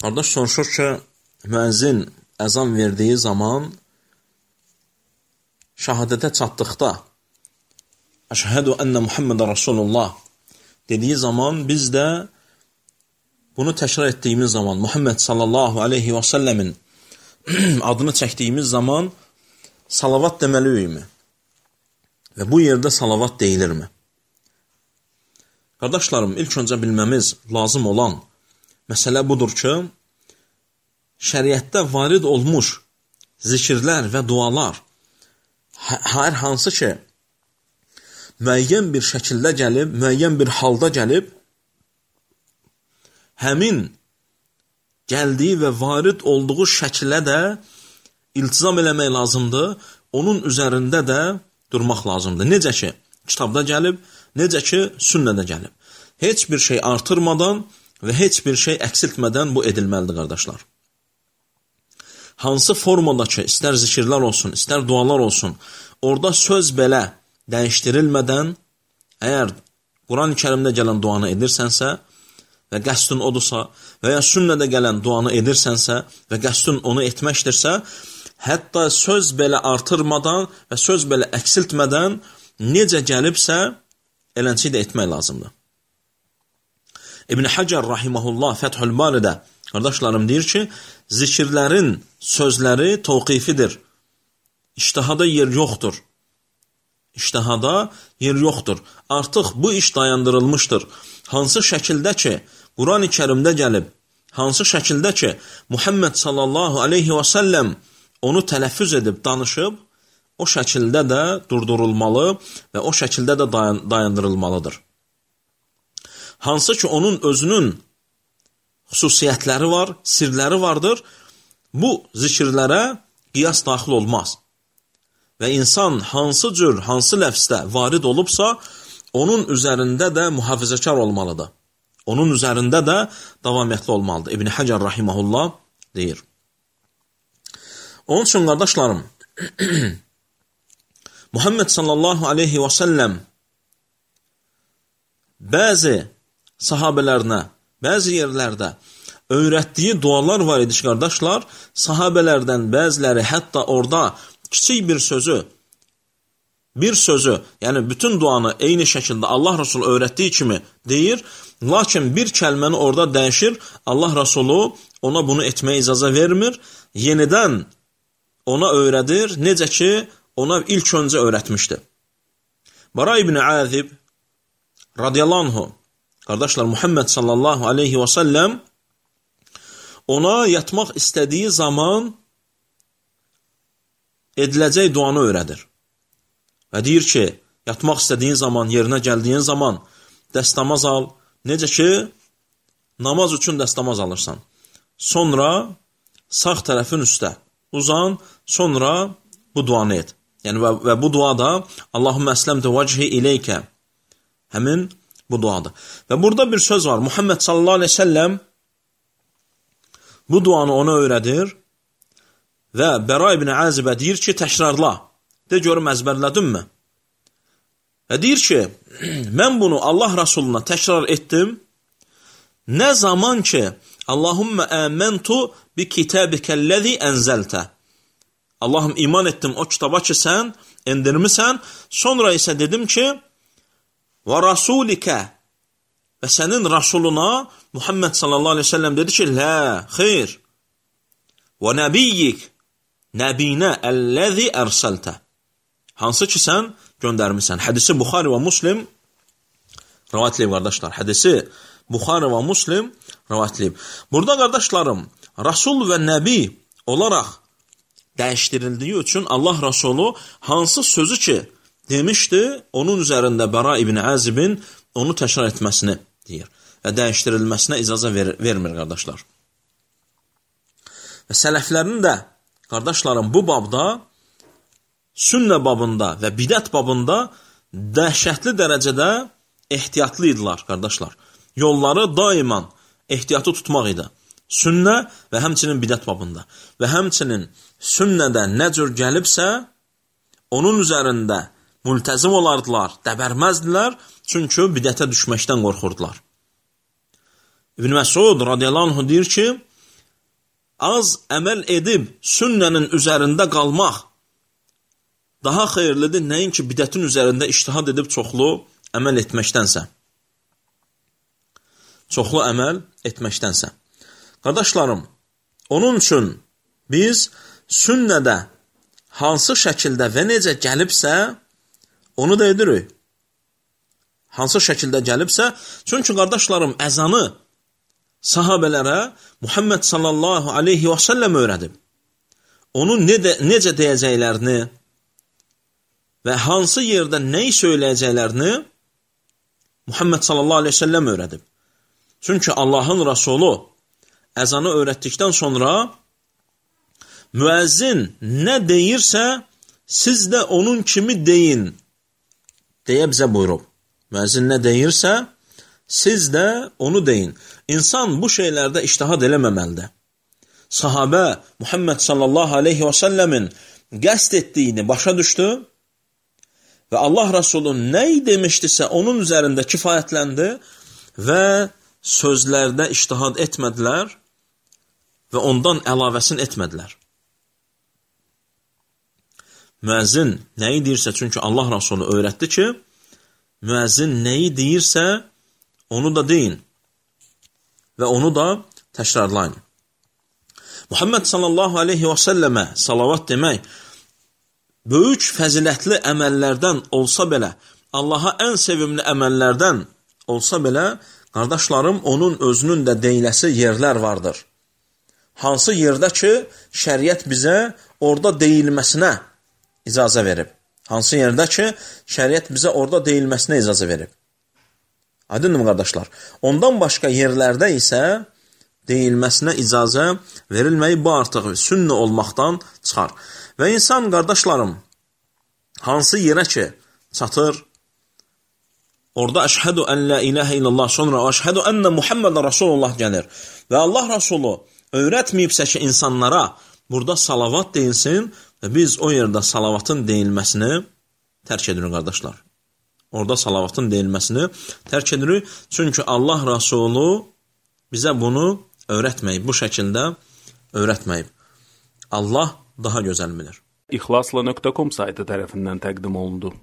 Qardaş soruşur ki, müəzzin əzan verdiyi zaman şəhadətə çatdıqda Əşhədü ənə Muhammedən Rasulullah dediyi zaman biz də bunu təkrar etdiyimiz zaman Muhammed sallallahu aleyhi və səlləmin adını çəkdiyimiz zaman salavat deməliyikmi? Və bu yerdə salavat deyilirmi? Qardaşlarım, ilk öncə bilməmiz lazım olan məsələ budur ki, şəriətdə varid olmuş zikirlər və dualar hər hansı ki, müəyyən bir şəkildə gəlib, müəyyən bir halda gəlib, həmin gəldiyi və varid olduğu şəkilə də iltizam eləmək lazımdır, onun üzərində də durmaq lazımdır. Necə ki, kitabda gəlib, necə ki, sünnədə gəlib. Heç bir şey artırmadan və heç bir şey əksiltmədən bu edilməlidir, qardaşlar. Hansı formadakı, istər zikirlər olsun, istər dualar olsun, orada söz belə dəyişdirilmədən, əgər Quran-ı Kərimdə gələn duanı edirsənsə və qəsdin odursa və ya sünnədə gələn duanı edirsənsə və qəsdin onu etməkdirsə, hətta söz belə artırmadan və söz belə əksiltmədən necə gəlibsə, elənçi də etmək lazımdır. İbn Həcər rahiməhullah Fəthül Baridə qardaşlarım deyir ki, zikirlərin sözləri təvqifidir. İctihada yer yoxdur. İctihada yer yoxdur. Artıq bu iş dayandırılmışdır. Hansı şəkildə ki, Quran-ı Kərimdə gəlib, hansı şəkildə ki, Muhammed sallallahu aleyhi və səlləm onu tələffüz edib, danışıb, o şəkildə də durdurulmalı və o şəkildə də dayandırılmalıdır. Hansı ki, onun özünün xüsusiyyətləri var, sirləri vardır, bu zikirlərə qiyas daxil olmaz. Və insan hansı cür, hansı ləfsdə varid olubsa, onun üzərində də mühafizəkar olmalıdır. Onun üzərində də davamiyyətli olmalıdır. İbn Həcər rahiməhullah deyir. Onun üçün, qardaşlarım, Muhammed sallallahu aleyhi və səlləm bəzi sahabələrinə, bəzi yerlərdə öyrətdiyi dualar var idi ki, qardaşlar, sahabələrdən bəziləri hətta orada kiçik bir sözü, yəni bütün duanı eyni şəkildə Allah Rasulü öyrətdiyi kimi deyir, lakin bir kəlməni orada dəyişir, Allah Rasulü ona bunu etməyə icazə vermir, yenidən ona öyrədir, necə ki, ona ilk öncə öyrətmişdi. Bara ibn Azib radiyallahu anhu, qardaşlar, Muhammed sallallahu aleyhi və səlləm ona yatmaq istədiyi zaman ediləcək duanı öyrədir. Və deyir ki, yatmaq istədiyin zaman, yerinə gəldiyin zaman dəstəmaz al, necə ki, namaz üçün dəstəmaz alırsan. Sonra sağ tərəfin üstə uzan, sonra bu duanı et. Yəni, və bu duada Allahümmə əsləmtə vəchi ileykə, həmin bu duadır. Və burada bir söz var, Muhammed sallallahu aleyhi ve sellem bu duanı ona öyrədir və Bəra ibn Azibə deyir ki, təkrarla, de görüm əzbərlədinmi? Və deyir ki, mən bunu Allah Rasuluna təkrar etdim, nə zaman ki, Allahümmə əməntu bi kitabikəlləzi ənzəltə, Allahım iman etdim o kitaba ki, sən endirmisən, sonra isə dedim ki, və rasulikə, və sənin rasuluna Muhammed sallallahu aleyhi ve sellem dedi ki, lə, xeyr, və nəbiyyik, nəbinə əlləzi ərsəltə, hansı ki, sən göndərmirsən. Hədisi Buxari və Muslim rəvayatləyib, qardaşlar. Hədisi Buxari və Muslim rəvayatləyib. Burada, qardaşlarım, Rasul və Nəbi olaraq dəyişdirildiyi üçün Allah Rasulü hansı sözü ki demişdi, onun üzərində Bəra ibn Azibin onu təkrar etməsini deyir və dəyişdirilməsinə icazə vermir, qardaşlar. Və sələflərin də, qardaşlarım, bu babda, sünnə babında və bidət babında dəhşətli dərəcədə ehtiyatlı idilər, qardaşlar. Yolları daiman ehtiyatı tutmaq idi. Sünnə və həmçinin bidət babında. Və həmçinin sünnədə nə cür gəlibsə, onun üzərində mültəzim olardılar, dəbərməzdilər, çünki bidətə düşməkdən qorxurdular. İbn Məsud radiyallahu anh deyir ki, az əməl edib sünnənin üzərində qalmaq daha xeyirlidir, nəinki bidətin üzərində ictihad edib çoxlu əməl etməkdənsə. Çoxlu əməl etməkdənsə. Qardaşlarım, onun üçün biz sünnədə hansı şəkildə və necə gəlibsə, onu da edirik. Hansı şəkildə gəlibsə, çünki qardaşlarım, əzanı sahabələrə Muhammed sallallahu aleyhi və səlləm öyrədib. Onu necə deyəcəklərini və hansı yerdə nəyi söyləyəcəklərini Muhammed sallallahu aleyhi və səlləm öyrədib. Çünki Allahın Rasulü əzanı öyrətdikdən sonra müəzzin nə deyirsə, siz də onun kimi deyin deyə bizə buyurub. Müəzzin nə deyirsə, siz də onu deyin. İnsan bu şeylərdə ictihad eləməməlidir. Sahabə Muhammed sallallahu aleyhi və səlləmin qəsd etdiyini başa düşdü və Allah Rasulü nə demişdisə onun üzərində kifayətləndi və sözlərdə ictihad etmədilər və ondan əlavəsini etmədilər. Müəzzin nəyi deyirsə, çünki Allah Rasulü öyrətdi ki, müəzzin nəyi deyirsə, onu da deyin və onu da təkrarlayın. Muhammed sallallahu aleyhi və səlləmə salavat demək, böyük fəzilətli əməllərdən olsa belə, Allaha ən sevimli əməllərdən olsa belə, qardaşlarım, onun özünün də deyiləsi yerlər vardır. Hansı yerdə ki, şəriət bizə orada deyilməsinə icazə verib. Hansı yerdə ki, şəriət bizə orada deyilməsinə icazə verib. Aydınmı, qardaşlar? Ondan başqa yerlərdə isə deyilməsinə icazə verilməyi bu artıq sünnə olmaqdan çıxar. Və insan, qardaşlarım, hansı yerə ki, çatır, orada əşhədu ən la iləhə illallah, sonra əşhədu ənə Muhammedən Rasulullah gəlir. Və Allah Rasulü öyrətməyibsə ki, insanlara burada salavat deyilsin və biz o yerdə salavatın deyilməsini tərk edirik, qardaşlar. Orada salavatın deyilməsini tərk edirik. Çünki Allah Rasulü bizə bunu öyrətməyib, bu şəkildə öyrətməyib. Allah daha gözəl bilir. İxlasla.com saytı tərəfindən təqdim olundu.